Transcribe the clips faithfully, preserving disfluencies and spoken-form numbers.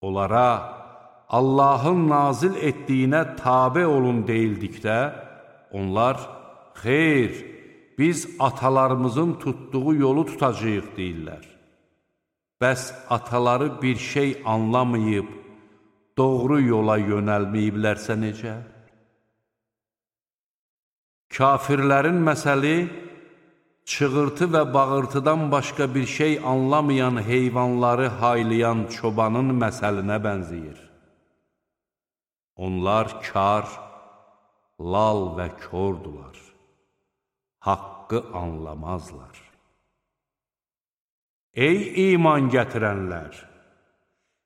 Onlara Allahın nazil etdiyinə tabe olun deyildikdə, onlar, xeyr, biz atalarımızın tutduğu yolu tutacağıq deyirlər. Bəs ataları bir şey anlamayıb, doğru yola yönəlməyiblərsə necə? Kafirlərin məsəli, çığırtı və bağırtıdan başqa bir şey anlamayan heyvanları haylayan çobanın məsəlinə bənzəyir. Onlar kar, lal və kordular. Haqqı anlamazlar. Ey iman gətirənlər!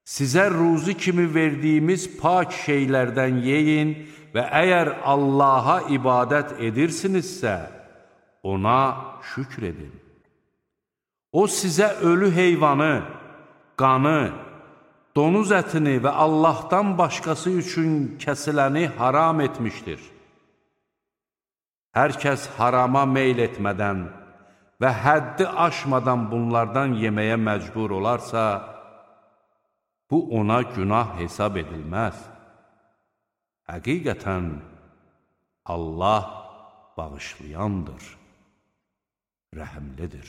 Sizə ruzi kimi verdiyimiz pak şeylərdən yeyin və əgər Allaha ibadət edirsinizsə, ona şükr edin. O sizə ölü heyvanı, qanı, donuz ətini və Allahdan başqası üçün kəsiləni haram etmişdir. Hər kəs harama meyl etmədən və həddi aşmadan bunlardan yeməyə məcbur olarsa, bu ona günah hesab edilməz. Həqiqətən, Allah bağışlayandır, rəhimlidir.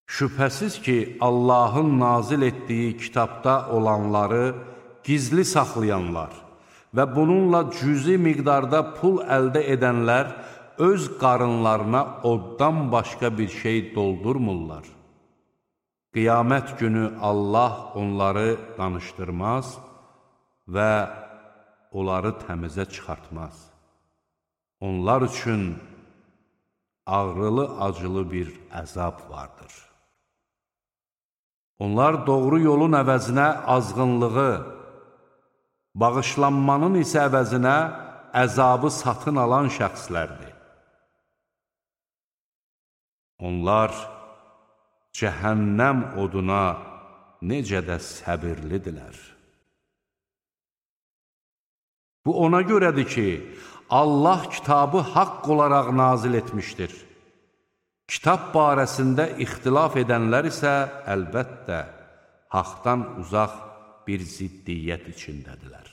Şübhəsiz ki, Allahın nazil etdiyi kitabda olanları gizli saxlayanlar və bununla cüzi miqdarda pul əldə edənlər öz qarınlarına oddan başqa bir şey doldurmurlar. Qiyamət günü Allah onları danışdırmaz və onları təmizə çıxartmaz. Onlar üçün ağrılı-acılı bir əzab vardır. Onlar doğru yolun əvəzinə azğınlığı, bağışlanmanın isə əvəzinə əzabı satın alan şəxslərdir. Onlar cəhənnəm oduna necə də səbirlidirlər. Bu ona görədir ki, Allah kitabı haqq olaraq nazil etmişdir. Kitab barəsində ixtilaf edənlər isə əlbəttə haqdan uzaq bir ziddiyyət içindədirlər.